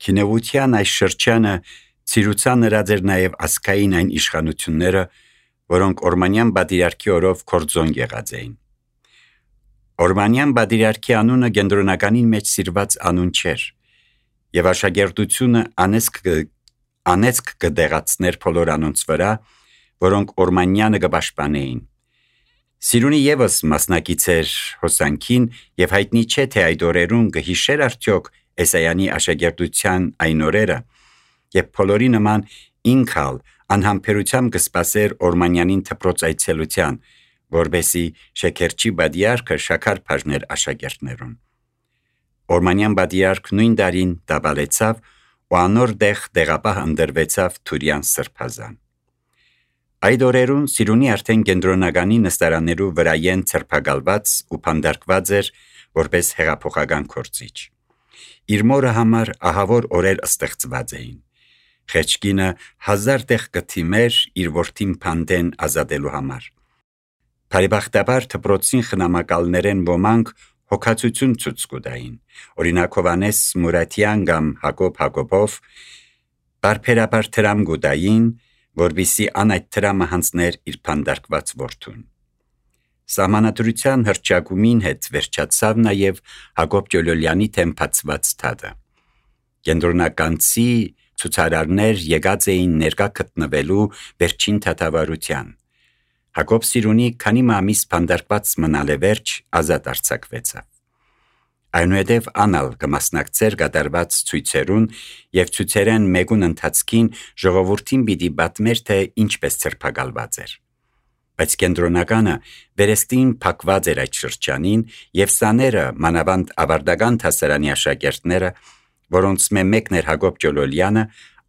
Քինեվության այս շրջանը ցիրուցան նրած էր նաև ասկային այն իշխանությունները, որոնք Օրմանյան բادرիարքի օրով կորձոն եղած էին։ Օրմանյան բادرիարքի անունը կենտրոնականին մեջ սիրված անուն չէր, եւ աշակերտությունը անեցք կդեղացներ բոլոր անոնց վրա, որոնք Օրմանյանը կպաշտպանեին։ Սիրունի եւս մասնակից էր հոսանքին եւ հայտնի չէ թե այդ օրերուն կհիշեր արդյոք Էսայանի աշակերտության այն օրերը, եւ բոլորի նման ինքալ անհամբերությամբ կսպասեր Օրմանյանին թփրոց այցելության, որբեսի Շեքերչի բادرիարքը շաքար բաժներ աշակերտներուն։ Օրմանյան բادرիարք նույն դարին դաբալեցավ ու անոր դեղապահ ընդրվեցավ Թուրյան սրբազան։ Այդ օրերուն Սիրունի արդեն կենտրոնականի նստարաններու վրայեն ցրփակալված ու փանդարկված էր որպես հեղափոխական կորցիչ։ Իր մորը համար ահավոր օրեր ստեղծված էին։ Խեչկինը 1000 տեղ կթիմեր իր որդին փանդեն ազատելու համար։ Բարեբախտաբար դպրոցին խնամակալներեն ոմանք հոգացություն ցույց կտային։ Օրինակ Հովանես Մուրատյան կամ Հակոբ Հակոբով բարբերաբար դրամ գուտային, որբիսի անայդ դրամը հանձներ իր փանդարկված որդուն։ Սահմանադրության հրճակումին հետ վերջացավ նաև Հակոբ Ջոլոլյանի թեմփացված թադը։ Կենտրոնականցի ցուցարարներ եկած էին ներկա գտնվելու վերջին թաթավարության։ Հակոբ Սիրունի քանի ամիս փանդարկված մնալե վերջ ազատ արձակվեցավ։ Այնուհետև անալ կմասնակցեր կատարված ցույցերուն եւ ցույցերեն մեկուն ընթացքին ժողովրդին պիտի պատմեր թե ինչպես ցրփակալված էր։ Բայց կենտրոնականը վերստին փակված էր այդ շրջանին եւ սաները մանավանդ ավարտական դասարանի աշակերտները, որոնց մեկն էր Հակոբ Ջոլոլյանը,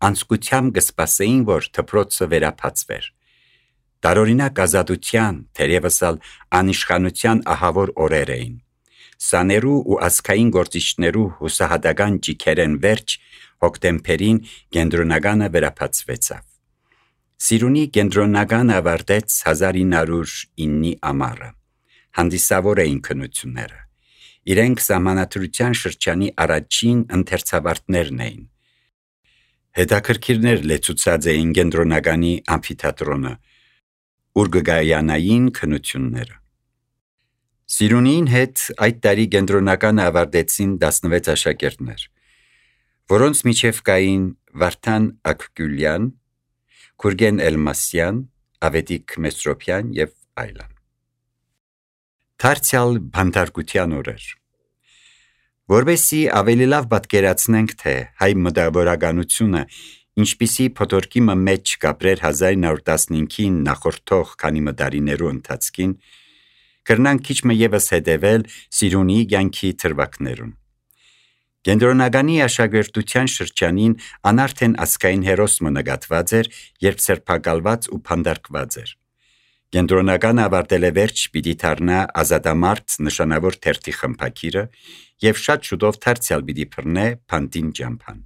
անցկությամբ կսպասեին, որ դպրոցը վերափացվեր։ Տարօրինակ ազատության, թերևս անիշխանության ահավոր օրեր էին։ Սաներու ու ազգային գործիչներու հուսահատական ճիքերեն վերջ հոկտեմբերին կենտրոնականը վերափացվեցավ։ Սիրունի կենտրոնական ավարտեց 1909 ամառը։ Հանդիսավոր էին քննությունները։ Իրենք սահմանադրության շրջանի առաջին ընթերցավարտներն էին։ Հետաքրքիրներ լեցուցած էին կենտրոնականի ամֆիթատրոնը, ուր կգայանային քննությունները։ Սիրունին հետ այդ տարի կենտրոնականը ավարտեցին 16 աշակերտներ, որոնց միջև կային Վարդան Ակգյուլյան, Գուրգեն Էլմասյան, Ավետիք Մեսրոպյան եւ այլն։ Դարձյալ բանտարկության օրեր։ Որովհետեւ ավելի լավ պատկերացնենք, թե հայ մտավորականությունը ինչպիսի փոթորկի մեջ կապրեր 1915-ին նախորդող քանի մտարիներու ընթացքին, կրնանք քիչ եւս հետևել Սիրունի կյանքի թրվակներուն։ Կենտրոնականի աշակերտության շրջանին անարդեն ասկային հերոսը նկատված էր, երբ ցրփակալված ու փանդարկված էր։ Կենտրոնականը ավարտել է վերջ պիտի դառնա ազատամարտ նշանավոր թերթի խմբակիրը եւ շատ շուտով դարձյալ պիտի բռնե փանդին ջամփան։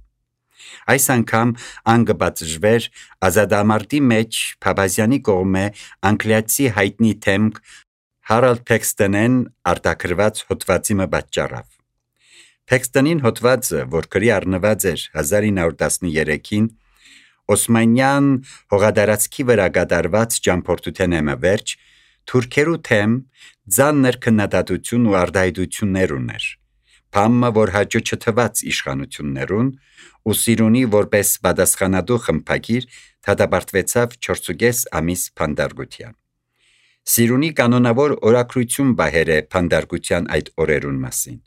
Այս անգամ անգբացժվեր ազատամարտի մեջ Փաբազյանի կողմէ անգլիացի հայտնի թեմք Հարալդ Փեքստոնեն արտակրված հոդվածի պատճառով։ Փեքստոնին հոդվածը, որ գրի առնված էր 1913-ին, Օսմանյան հողադարածքի վրա կատարված ճամփորդության վերջ, թուրքերու թեմ ձաններ քննադատություն ու արդայդություններ ուներ։ Փամը, որ հաջո չթված իշխանություններուն, ու Սիրունի որպես պատասխանատու խմբակիր դատապարտվեցավ 4.5 ամիս փանդարկության։ Սիրունի կանոնավոր օրակրություն բահեր է փանդարկության այդ օրերուն մասին։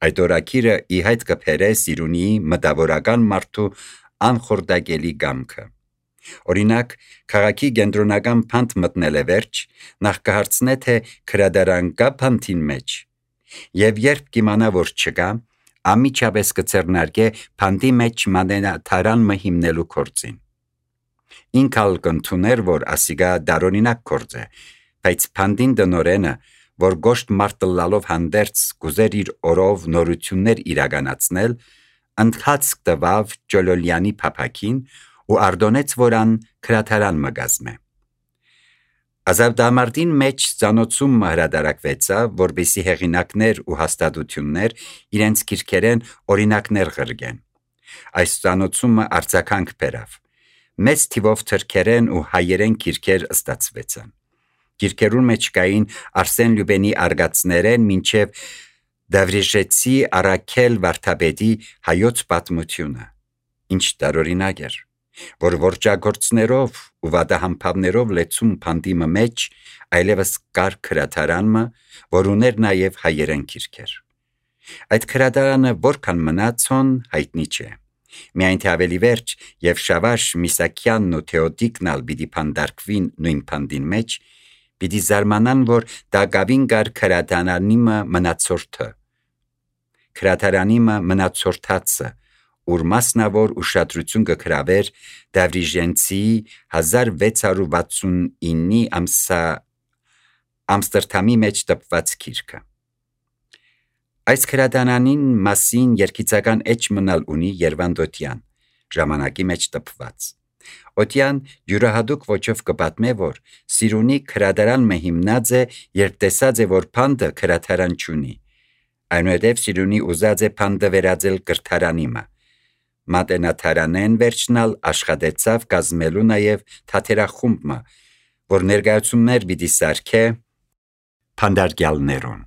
Այդ օրակիրը ի հայտ կբերե Սիրունիի մտավորական մարդու անխորդակելի գամքը։ Օրինակ, քաղաքի կենտրոնական փանդ մտնել է վերջ, նախ կհարցնե թե քրադարան կա փանդին մեջ, եւ երբ կիմանա որ չկա, ամիջապես կցեռնարկե փանդի մեջ մանենաթարան մը հիմնելու կորձին։ Ինքալ կընդուներ, որ ասիգա դարօրինակ կորձ է, բայց փանդին դնորենը, որ գոշտ մարտլալով հանդերձ գուզեր իր օրով նորություններ իրականացնել, ընդհանց տվավ Ջոլոլյանի փափակին ու արդոնեց որան քրաթարան մգազմե։ Ազատամարտին մեջ ծանոթում հրադարակվեցավ, որբիսի հեղինակներ ու հաստատություններ իրենց քիրքերեն օրինակներ ղրգեն։ Այս ծանոթումը արձագանք բերավ։ Մեծ թիվով թրքերեն ու հայերեն գիրքեր ստացվեցան։ Գիրքերուն մեջ կային Արսեն Լյուբենի արգածներեն մինչև Դավրիժեցի Արաքել Վարդապետի հայոց պատմությունը։ Ինչ տարօրինակ էր, որ որջագործներով ու վադահամբավներով լեցում փանդիմը մեջ այլևս կար քրատարանը, որ ուներ նաև հայերեն գիրքեր։ Այդ քրատարանը որքան մնացոն հայտնի չէ։ Միայն թե ավելի վերջ եւ Շավարժ Միսակյանն ու Թեոդիկն ալ պիտի փանդարկվին նույն փանդին մեջ, պիտի զարմանան, որ դա գավին գար քրատարանիմը մնացորդը։ Քրատարանիմը մնացորդածը, ուր մասնավոր ուշադրություն կգրավեր Դավրիժենցի 1669-ի Ամստերդամի մեջ տպված գիրքը։ Այս քրատարանին մասին երկիծական էջ մնալ ունի Երվանդ ժամանակի մեջ տպված։ Օտյան յուրահատուկ ոճով կպատմե, որ Սիրունի քրատարանը հիմնած է, երբ տեսած է, որ փանդը քրատարան չունի։ Այնուհետև Սիրունի ուզած է փանդը վերածել կրթարանիմը։ Մատենաթարանեն վերջնալ աշխատեցավ կազմելու նաև թատերախումբը, որ ներկայացումներ պիտի սարքե փանդարգյալներուն։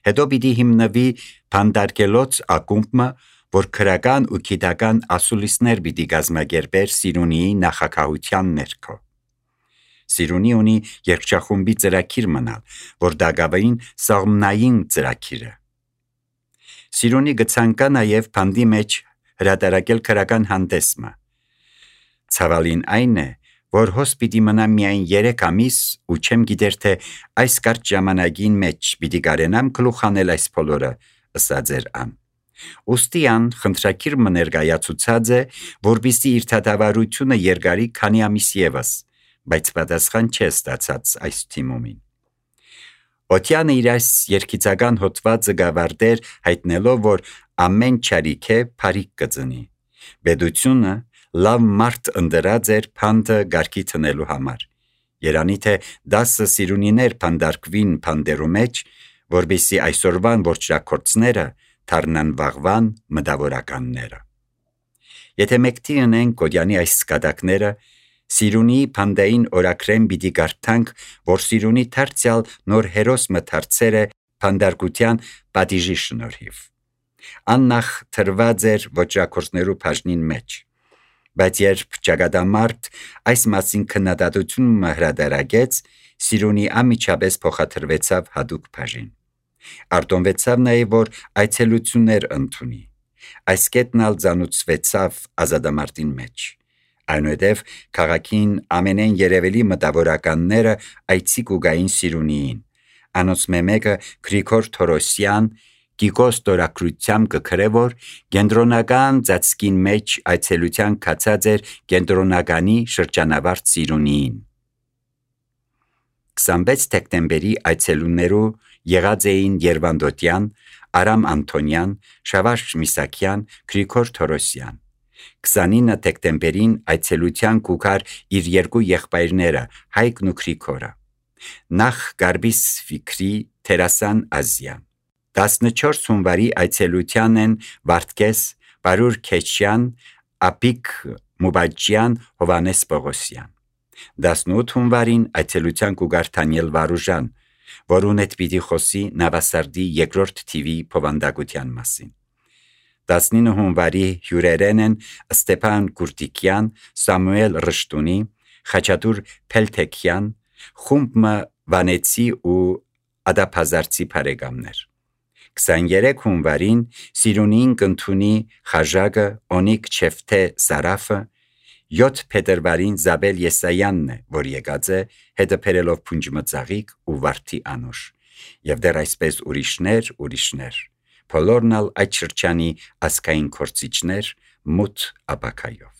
Հետո պիտի հիմնվի փանդարգելոց ակումբը, որ քրական ու գիտական ասուլիսներ պիտի գազմագերբեր Սիրունիի նախագահության ներքո։ Սիրունի ունի երգչախումբի ծրագիր մնալ, որ դագավային սաղմնային ծրագիրը։ Սիրունի գցանկա նաև փանդի մեջ հրատարակել քրական հանդեսը։ Ցավալին այն է, որ հոս պիտի մնա միայն 3 ամիս ու չեմ գիտեր թե այս կարճ ժամանակին մեջ պիտի կարենամ գլուխանել այս բոլորը, ըսած էր ան։ Ուստիան խնդրակիր մներգայացուցած է, որպեսզի իր թադավարությունը երգարի քանի ամիս ևս, բայց պատասխան չէ ստացած այս թիմումին։ Օտյանը իր այս երկիծական հոդվածը գավարտեր հայտնելով, որ ամեն չարիք է փարիք կծնի։ Բեդությունը լավ մարդ ընդրած էր փանդը գարկի տնելու համար։ Երանի թե 10 Սիրունիներ փանդարկվին փանդերու մեջ, որպեսզի այսօրվան որջակորցները թարնան վաղվան մտավորականները։ Եթե մեկտի ունենք Կոդյանի այս սկադակները, Սիրունի փանդային օրակրեն պիտի գարտանք, որ Սիրունի դարձյալ նոր հերոս մթարցեր է փանդարկության պատիժի շնորհիվ։ Աննախ թրված էր որջակորցներու բաժնին մեջ, բայց երբ ճակատամարտ այս մասին քննադատությունը հրադարագեց, Սիրունի ամիջապես փոխադրվեցավ հատուկ բաժին։ Արտոնվեցավ նաև, որ այցելություններ ընդունի։ Այս կետն ալ ծանուցվեցավ ազատամարտին մեջ։ Այնուհետև քաղաքին ամենեն երևելի մտավորականները այցի կուգային Սիրունիին։ Անոնց մեկը Գրիգոր Թորոսյան Գիգոս Տորակրությամբ կգրե, որ կենտրոնական ծածկին մեջ այցելության կացած էր կենտրոնականի շրջանավարտ Սիրունիին։ 26 դեկտեմբերի այցելուններու եղած էին Երվանդոտյան, Արամ Անտոնյան, Շավարժ Միսակյան, Գրիգոր Թորոսյան։ 29 դեկտեմբերին այցելության կուքար իր երկու եղբայրները Հայկն ու Գրիգորը։ Նախ Գարբիս Ֆիկրի Թերասան Ազյան։ 14 հունվարի այցելության են Վարդգես, Բարուր Քեչյան, Ապիկ Մուբաջյան, Հովանես Պողոսյան։ 18 հունվարին այցելության կուգար Դանիել Վարուժան, որուն հետ պիտի խոսի Նավասարդի երկրորդ թիվի փոխանդակության մասին։ 19 հունվարի հյուրերեն են Ստեփան Կուրտիկյան, Սամուել Ռշտունի, Խաչատուր Փելթեքյան, Խումբ Վանեցի ու Ադափազարցի բարեկամներ։ 23 հունվարին Սիրունին կընդունի Խաժագը, Օնիկ Չեֆթե Սարաֆը, 7 փետրվարին Զաբել Եսայանն է, որ եկած է հետը փերելով Փունջմծաղիկ ու Վարդի Անուշ, եւ դեռ այսպես ուրիշներ, բոլորն ալ այդ շրջանի ասկային կորցիչներ մութ ապակայով։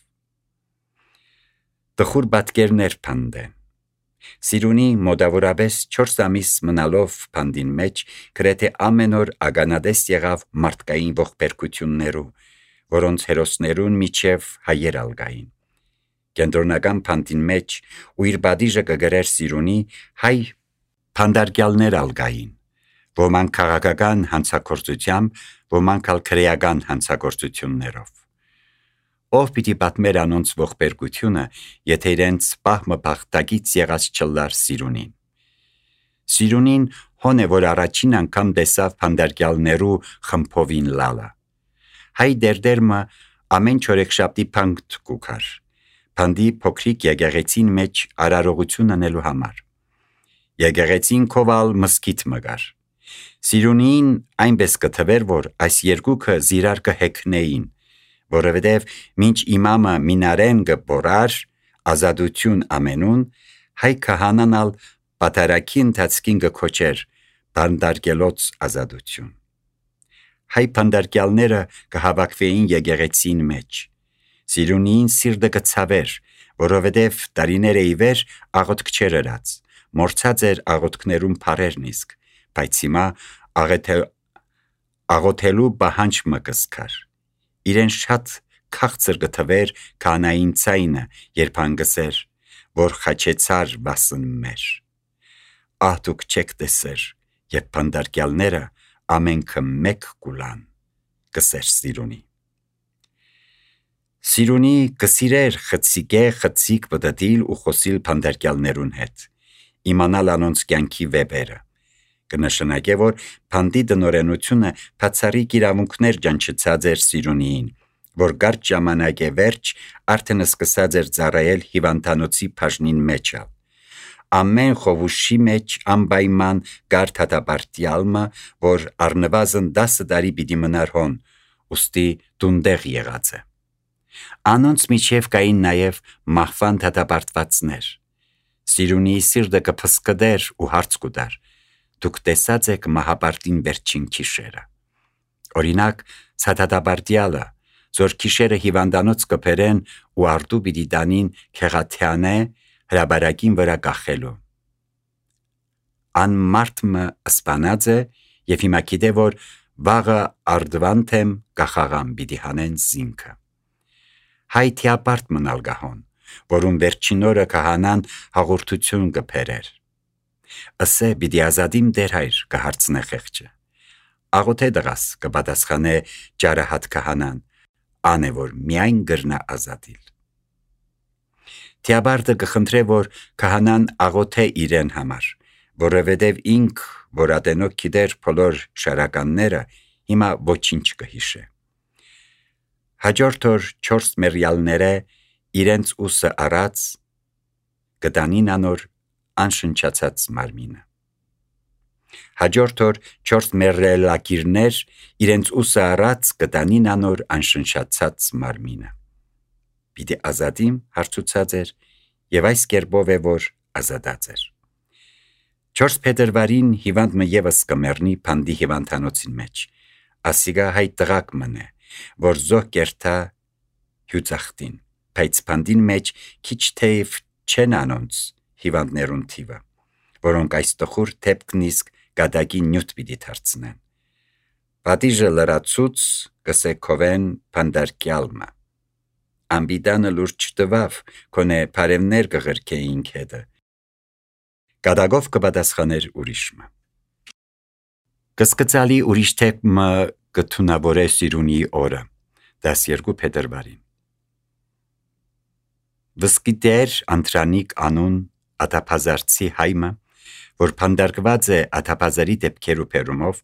Տխուր պատկերներ փանդեն։ Սիրունի մոտավորապես 4 ամիս մնալով փանդին մեջ գրեթե ամեն օր ագանադես եղավ մարդկային ողբերգություններու, որոնց հերոսներուն միջև հայեր ալգային։ Կենտրոնական փանդին մեջ ու իր բադիժը կգրեր Սիրունի հայ փանդարգյալներ ալգային, ոմանք քաղաքական հանցագործությամբ, ոմանք ալ քրեական հանցագործություններով։ ով պիտի պատմեր անոնց ողբերգությունը, եթե իրենց պահմը բախտագից եղած չլար Սիրունին։ Սիրունին հոն է, որ առաջին անգամ տեսավ փանդարգյալներու խմփովին լալը։ Հայ դերդերմը ամեն չորեքշաբթի փանդ կուքար, փանդի փոքրիկ եկեղեցին մեջ արարողություն անելու համար։ Եկեղեցին քովալ մսկիթ մգար։ Սիրունին այնպես կթվեր, որ այս երկուքը զիրար կհեքնեին, որովհետև մինչ իմամը մինարեն կբորար ազատություն ամենուն, հայ քահանանալ պատարակի ընթացքին կքոչեր բանդարգելոց ազատություն։ Հայ բանդարգյալները կհավաքվեին եկեղեցին մեջ։ Սիրունին սիրտը կցավեր, որովհետև տարիներ ի վեր աղոթք չեր ըրած, մորցած էր աղոթքներում փարերն իսկ, բայց հիմա աղոթելու բահանջ մը կսկար։ Իրեն շատ քաղցր կթվեր քահանային ցայնը, երբ հանգսեր, որ խաչեցար վասն մեր։ Ահ դուք չեք տեսեր, երբ բանդարգյալները ամենքը մեկ կուլան, կսեր Սիրունի։ Սիրունի կսիրեր խցիկ բդդիլ ու խոսիլ բանդարգյալներուն հետ, իմանալ անոնց կյանքի վեբերը։ Կնշանակե, որ փանդի դնորենությունը բացառիկ իրավունքներ ջանչեցած էր Սիրունիին, որ կարճ ժամանակ է վերջ արդեն սկսած էր ծառայել հիվանդանոցի բաժնին մեջը։ Ամեն խովուշի մեջ անպայման կար դատապարտյալը, որ առնվազն 10 տարի պիտի մնար հոն, ուստի դունդեղ եղած է։ Անոնց միջև կային նաև մահվան դատապարտվածներ։ Սիրունի սիրտը կփսկդեր ու հարց կուտար. դուք տեսած եք մահապարտին վերջին քիշերը։ Օրինակ, ցադատապարտյալը, որ քիշերը հիվանդանոց կբերեն ու արդու պիտի տանին քեղաթյանե հրաբարակին վրա կախելու։ Ան մարդը սպանած է եւ հիմա գիտե, որ վաղը արդվանթեմ կախաղան պիտի հանեն զինքը։ Հայ թիապարտ մնալ գահոն, որում վերջին օրը կհանան հաղորդություն կբերեր։ Ասե պիտի ազատիմ դեր հայր կհարցնե խեղճը։ Աղոթե դղաս կպատասխանե ջարահատ կհանան, ան է որ միայն գրնա ազատիլ։ Թիապարտը կխնդրե, որ կհանան աղոթե իրեն համար, որովհետև ինք, որ ատենոք գիտեր բոլոր շարականները, հիմա ոչինչ կհիշե։ Հաջորդ օր 4 մերյալները իրենց ուսը առած կտանին անոր անշնչացած մարմինը։ Հաջորդ օր 4 մերելակիրներ իրենց ուսը առած կտանին անոր անշնչացած մարմինը։ Պիտի ազատիմ հարցուցած էր եւ այս կերպով է որ ազատած էր։ 4 փետրվարին հիվանդը եւս կմեռնի փանդի հիվանդանոցին մեջ։ Ասիգա հայ տղակ մնե, որ զոհ կերտա հյուծախտին, բայց փանդին մեջ քիչ թեև չեն անոնց հիվանդներուն թիվը, որոնք այս տխուր թեփքն իսկ գադակի նյութ պիտի դարձնեն։ Պատիժը լրացուց կսե քովեն փանդարկյալը։ Ամբիդանը լուրջ տվավ, կոնե բարևներ կղրկեին քեդը։ Գադագով կպատասխաներ ուրիշը։ Կսկծալի ուրիշ թեփը կթունավորե Սիրունի օրը, 12 փետրվարին։ Վսկիտեր Անտրանիկ անուն ատափազարցի հայմը, որ փանդարկված է աթափազարի դեպքերու պերումով,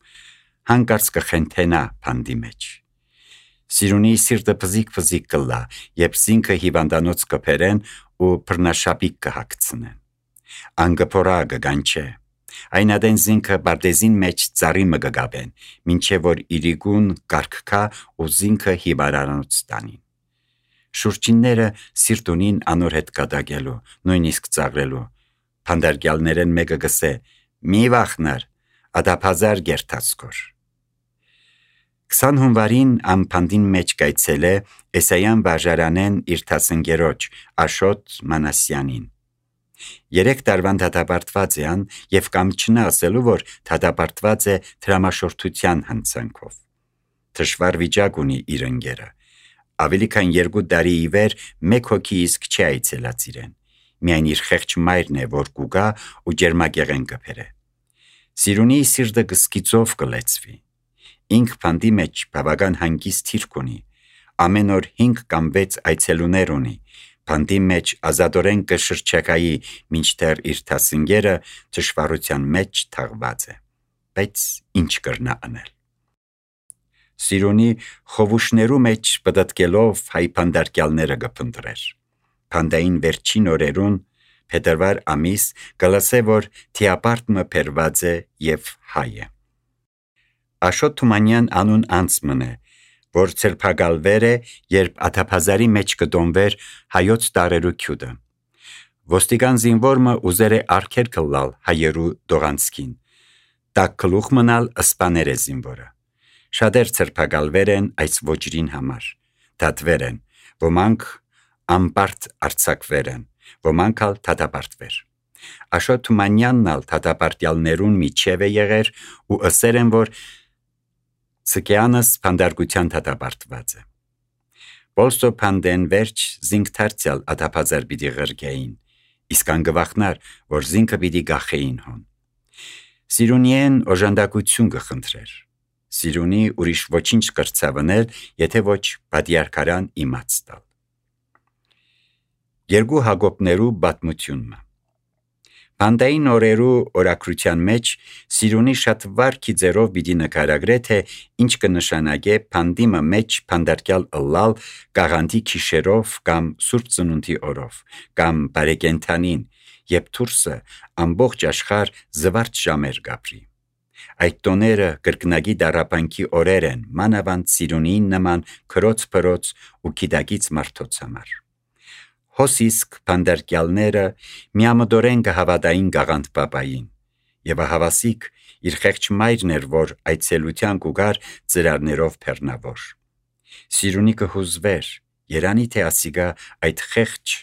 հանկարծ կխենթենա փանդի մեջ։ Սիրունի սիրտը փզիկ կլա, երբ զինքը հիվանդանոց կբերեն ու բռնաշապիկ կհագցնեն։ Անգփորա կգանչե։ Այն ադեն զինքը բարտեզին մեջ ծառի մը կգաբեն, մինչև որ իրիկուն կարգքա ու զինքը հիվարանոց տանին։ Շուրջինները սիրտունին անոր հետ կատակելու, նույնիսկ ծաղրելու։ Փանդարգյալներեն մեկը գսե. «Մի վախնար, ադափազար գերտացկոր»։ 20 հունվարին ամփանդին մեջ կայցել է Էսայան վարժարանեն իր տասնգերոջ Աշոտ Մանասյանին։ 3 տարվան դատապարտված է ան եւ կամ չնա ասելու, որ դատապարտված է դրամաշորթության հանցանքով։ Դժվար վիճակ ունի իր ընկերը։ Ավելի քան 2 տարի ի վեր մեկ հոգի իսկ չի այցելած իրեն։ Միայն իր խեղճ մայրն է, որ կուգա ու ջերմակեղեն կբերե։ Սիրունի սիրտը գսկիծով կլեցվի։ Ինք փանդի մեջ բավական հանգիստ թիրք ունի, ամեն օր 5 կամ 6 այցելուներ ունի, բանդի մեջ ազատորեն կշրջակայի, մինչդեռ իր դասընկերը դժվարության մեջ թաղված է, բայց ինչ կրնա անել։ Սիրունի խովուշներու մեջ պտտկելով հայ փանդարկյալները կփնտրեր։ Փանդային վերջին օրերուն փետրվար ամիս գլասե որ թիապարտմը փերված է եւ հայ է։ Աշոտ Թումանյան անուն անցմն է, որ ցերփակալվեր է, երբ աթափազարի մեջ կդոնվեր հայոց տարերու քյուդը։ Ոստիկան զինվորը ուզեր է արկեր կլալ հայերու դողանցքին։ Տակ գլուխ մնալ ըսպաներ է զինվորը։ Շատեր ցերփակալվեր են այս ոճրին համար։ Դատվեր են, ոմանք ամբարտ արձակվեր են, ոմանք ալ դատապարտվեր։ Աշոտ Թումանյանն ալ դատապարտյալներուն միջև է եղեր ու ըսեր են, որ Ցկյանս փանդարգության դատապարտված է։ Բոլսո փանդեն վերջ զինք դարձյալ աթափազար պիտի ղրկեին, իսկ անգվախնար, որ զինքը պիտի գախեին հոն։ Սիրունիեն օժանդակություն կխնդրեր։ Սիրունի ուրիշ ոչինչ կրծավնել, եթե ոչ պատիարքարան իմաց տալ։ Երկու Հակոբներու պատմությունը։ Փանդային օրերու օրակրության մեջ Սիրունի շատ վարքի ձերով պիտի նկարագրե, թե ինչ կնշանակե փանդիմը մեջ փանդարկյալ ըլլալ գաղանդի քիշերով կամ սուրբ ծնունդի օրով, կամ բարեկենթանին, երբ դուրսը ամբողջ աշխարհ զվարճ ժամեր գապրի։ Այդ տոները կրկնագի դարապանքի օրեր են, մանավանդ Սիրունին նման քրոց փրոց ու գիտակից մարդոց համար։ Հոսիսկ փանդարկյալները միամտորեն կհավատային գաղանդ պապային, եւ ահավասիկ իր խեղճ մայրն էր, որ այցելության կուգար ծրարներով փեռնավոր։ Սիրունի կհուզվեր, երանի թե ասիգա այդ խեղճ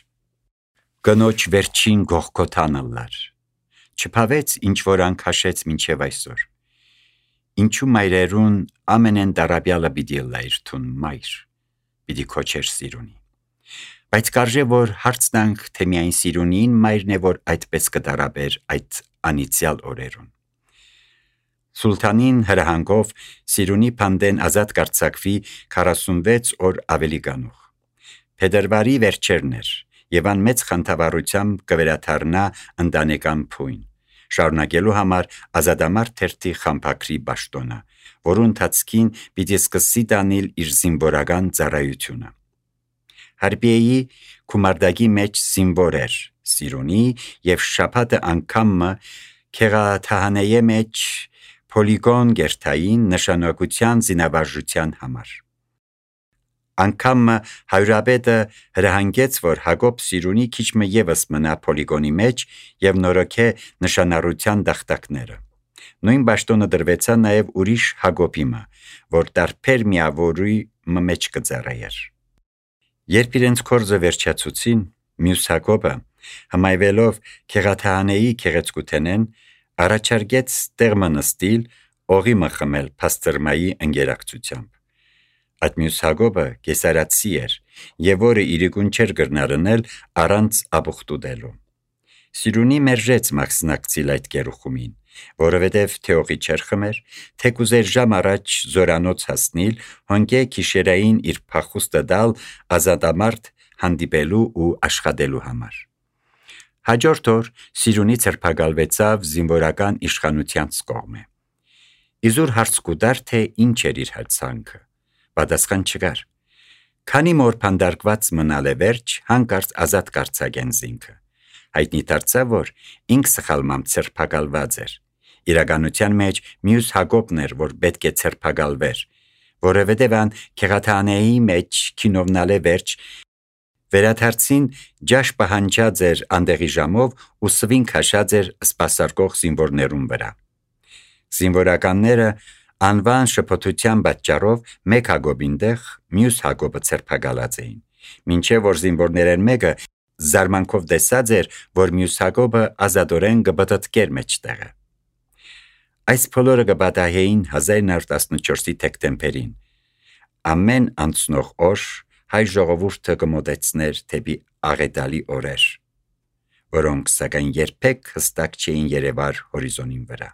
կնոջ վերջին գողքոթանը լար։ Չփավեց ինչ որ անքաշեց մինչև այսօր։ Ինչու մայրերուն ամենեն դարաբյալը պիտի լայր թուն մայր, պիտի քոչեր Սիրունի։ Բայց կարժե որ հարցնանք, թե միայն Սիրունին մայրն է, որ այդպես կդարաբեր այդ անիցյալ օրերուն։ Սուլթանին հրահանգով Սիրունի փանդեն ազատ կարձակվի 46 օր ավելի գանուխ։ Փետրվարի վերջերն էր, եւ ան մեծ խանդավառությամբ կվերաթարնա ընտանեկան փույն, շարունակելու համար ազատամարտ թերթի խամփակրի պաշտոնը, որու ընթացքին պիտի սկսի տանել իր զինվորական ծառայությունը։ Հարբիեի քումարդակի մեջ զինվոր էր Սիրունի եւ շաբաթը անգամը քեղաթահանեի մեջ պոլիգոն գերտային նշանակության զինավարժության համար։ Անգամը հայրապետը հրահանգեց, որ Հակոբ Սիրունի քիչմը եւս մնա պոլիգոնի մեջ եւ նորոգե նշանառության դախտակները։ Նույն պաշտոնը դրվեցա նաեւ ուրիշ Հակոբիմը, որ տարբեր միավորի մեջ կծառայեր։ Երբ իրենց կորձը վերջացուցին, մյուս Հակոբը, հմայվելով քեղաթահանեի քեղեցկութենեն, առաջարկեց տեղը նստիլ, օղի մխմել փաստերմայի ընկերակցությամբ։ Այդ մյուս Հակոբը կեսարացի էր, եւ որը իրիկուն չէր գրնարնել առանց աբուխտուդելու։ Սիրունի մերժեց մաքսնակցիլ այդ գերուխումին, որովհետև թեողի չեր խմեր, թե կուզեր ժամ առաջ զորանոց հասնիլ, հոնկե քիշերային իր փախուստը դալ ազատամարտ հանդիպելու ու աշխատելու համար։ Հաջորդ օր Սիրունի ցերփակալվեցավ զինվորական իշխանության կողմը։ Իզուր հարց կուտար, թե ինչ էր իր հացանքը։ Պատասխան չկար։ Քանի մոր փանդարկված մնալ է վերջ, հանկարծ ազատ կարձակեն զինքը։ Հայտնի դարձավ, որ ինք սխալմամբ ցերփակալված էր։ Իրականության մեջ մյուս Հակոբն էր, որ պետք է ցերփակալվեր, որովհետև ան քեղաթանեի մեջ քինովնալ է վերջ, վերադարձին ջաշ պահանջած էր անդեղի ժամով ու սվին քաշած էր սպասարկող զինվորներուն վրա։ Զինվորականները անվան շփոթության պատճառով մեկ Հակոբին տեղ մյուս Հակոբը ցերփակալած էին, մինչև որ զինվորներեն մեկը զարմանքով տեսած էր, որ մյուս Հակոբը ազատորեն կպտտկեր մեջտեղը։ Այս բոլորը կպատահեին 1914-ի դեկտեմբերին։ Ամեն անցնող օր հայ ժողովուրդը կմոտեցներ թեպի աղետալի օրեր, որոնք սակայն երբեք հստակ չէին երևար հորիզոնին վրա։